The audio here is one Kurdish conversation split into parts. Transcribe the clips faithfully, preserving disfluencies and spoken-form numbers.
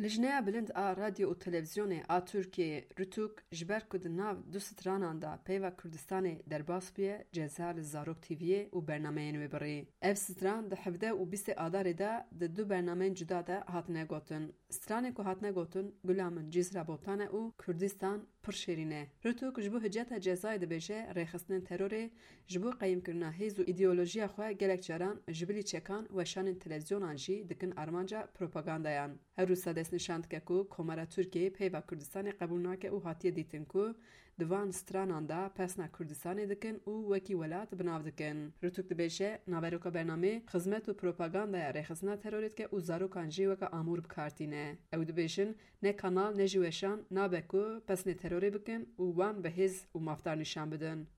Lijneya Bilind a Radyo û Televîzyonê a Tirkiyeyê, RTUK, ji ber ku di nav du stranan de peyva Kurdistanê derbas bûye, ceza li Zarok T V'yê û bernameyên wê birî. Ev stran di hevdeh û bîstê Adarê de di du bernameyên cuda de hatine gotin. Stranê ku hatine gotin, Gula Min Cîzra Botan e û Kurdistan Pir Şêrîn e. RTUK ji bo hiceta cezayê dibêje, rêxistinên terorê ji bo qeyîmkirina hêz û îdeolojiya xwe gelek caran ji bilî çekan, weşanên televîzyonan jî dikin armanca propagandayan. Her wisa destnîşan dike ku Komara Tirkiyeyê peyva Kurdistanê qebûl nake û hatiye dîtin ku di van stranan de pesna Kurdistanê dikin û wekî welat bi nav dikin. RTUK dibêje, naveroka bernamê xizmet û propagandaya rêxistina terorê dike û zarokan jî weke amûr bi kar tîne. Ew dibêjin, ne kanal ne jî weşan nabe ku pesnê terorê bikin û wan bi hêz û mafdar nîşan bidin.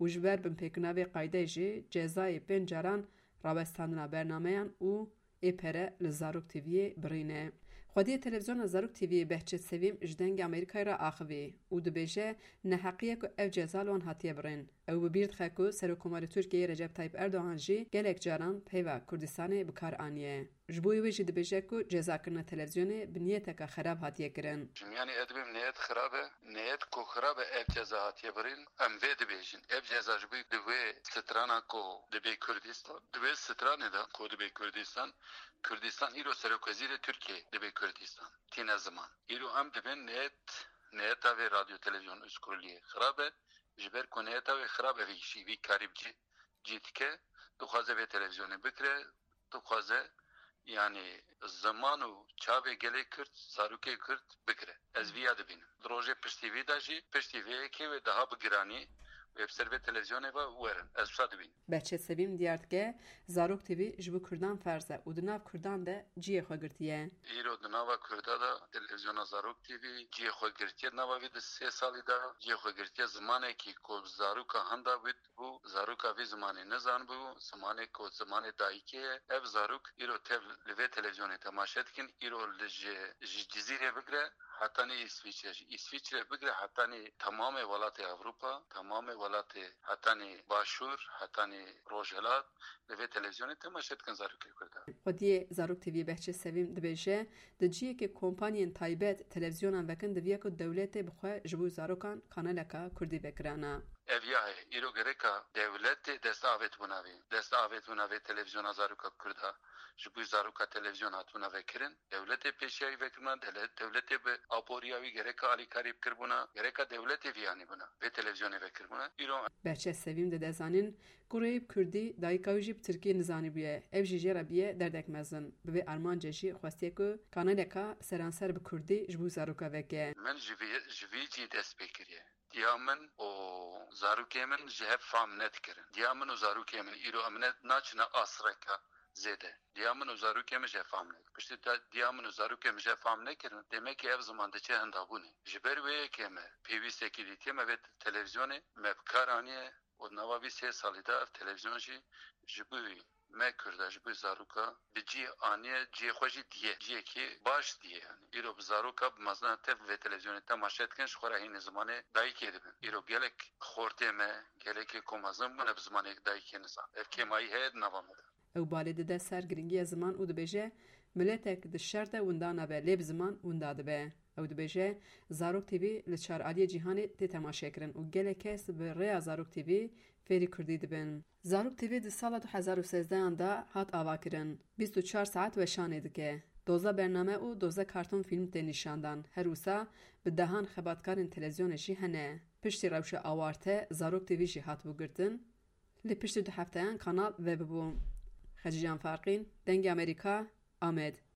Û ji ber binpêkirina vê qaydeyê jî cezayê pênc caran rawestandina bernameyan û ê pere li Zarok T V'yê birîne. Xwediyê televîzyona Zarok T V'yê Behçet Sevîm ji Dengê Amerîkayê re axivî û dibêje, neheqî ye ku ev ceza li wan hatiye birîn. Ew bi bîr dixe ku Serokkomarê Tirkiyeyê Recep Tayyip Erdogan jî gelek caran peyva Kurdistanê bi kar aniye. Ji bo wê jî dibêje ku cezakirina televîzyonê bi niyeteke xerab hatiye kirin. Ji miyanê edibê niyet xirab e, niyet ku xirab e ev ceza hatiye birîn, em vê dibêjin. Ev ceza ji bo di wê strana ku dibê Kurdistan, di wê stranê de ku dibê Kurdistan, Kurdistan îro serokwezîrê Tirkiyê dibê Kurdistan. Tîne ziman. Îro em dibên niyet, niyeta vê radyo televîzyon Uzkurliyê xirab e, ji ber ku niyeta wê xirab e, vî jî vî karî bi cî, cî dike, dixwaze vê televîzyonê bikire, dixwaze, yanî, ziman û çavê gelê Kurd, zarokê Kurd bigire. Ez viya dibînim. Di rojê piştî vî de jî, piştî vê yekê wê daha bi giranî wê bi ser vê televîzyonê ve werin. Ez wisa dibînim. Behçet Sevîm diyar dike, Zarok T V ji bo Kurdan ferz e û di nav Kurdan de cihê xwe girtiye. Îro di nava Kurda de televîzyona Zarok T V cihê xwe girtiye, di nava vî di sê salî de cihê xwe girtiye. Zimanekî ku zaroka handa wî bû, zaroka vî zimanê nizanibû, zimanê ku zimanê dayikê ye. Ev zarok îro tev li vê televîzyonê temaşe dikin, îro li ji, ji Cizîrê bigire hetanî Îsvîçre, ji Îsvîçre bigire hetanî temamê welatê Ewropa, temamê welatê hetanî Başûr, hetanî Rojhilat, li vê televîzyonê temaşe dikin zarokê Kurda. Xwediyê Zarok T V'yê Behçet Sevîm dibêje, di cihekê kompanyên taybet televîzyonan vekin, diviya ku dewletê bi xwe ji bo zarokan kanaleka Kurdî vekirana. Ev ya heye. Îro gereka dewletê dest avêt bûna vê. Dest avêt bûna vê televîzyona zaroka Kurda. Ji bo zaroka televîzyon hatibûna vekirin. Dewletê pêşiyayî vekirina, dele-, dewletê bi aboriya wî gereka alîkarî bikiribûna, gereka dewletê viyanî bûna. Vê televîzyonê vekiribûna. Îro Behçet Sevîm dide zanîn, kurê wî bi kurdî, dayika wî jî bi tirkî nizanîbûye. Ev jî jê re bûye derdek mezin. Bi vê armancê jî xwestiye ku kanaleka seranser bi kurdî ji bo zaroka veke. Min ji vî, ji vî cî dest pê kiriye. Diya min û zarokê min ji hev fam nedikirin. Diya min û zarokê min îro em ne, naçine asreke zêde. Diya min û zarokê min ji hev fam nekirin. Piştî da-, diya min û zarokê min ji hev fam nekirin, demekî ev ziman diçe hindabûnê. Ji ber wê yekê me pêwîstekî dîtiye, me vê televîzyonê me bi kar aniye û nava vî sê salî de ev televîzyon jî ji bo me Kurda, ji bo zaroka bi cî aniye, cihê xwe jî diye. Cihekî baş diye yani. Îro bi zaroka bi mezina tev vê televîzyonê temaşe dikin, ji xwe re hînê zimanê dayikê dibin. Îro gelek xortê me, gelekê ku mezin bûne bi zimanê dayikê nizan. Ev kêmayî heye di nava me de. Ew balê dide ser girîngiya ziman û dibêje, miletek di şer de winda nabe, lê bi ziman winda dibe. Ew dibêje, Zarok T V li çar aliyê cîhanê tê temaşekirin û gelek kes bi rêya Zarok T V fêrî kurdî dibin. Zarok T V di sala du hezar û sêzdeh an de hat avakirin. Bîst û çar saet weşanê dike. Doze bername û doze karton fîlm tê nîşandan. Her wisa bi dehan xebatkarên televîzyonê jî hene. Piştî rewşa awarte Zarok T V jî hatibû girtin. Lê piştî du hefteyan kanal vebibû. Xecîcan Farqîn, Dengê Amerîka, Amed.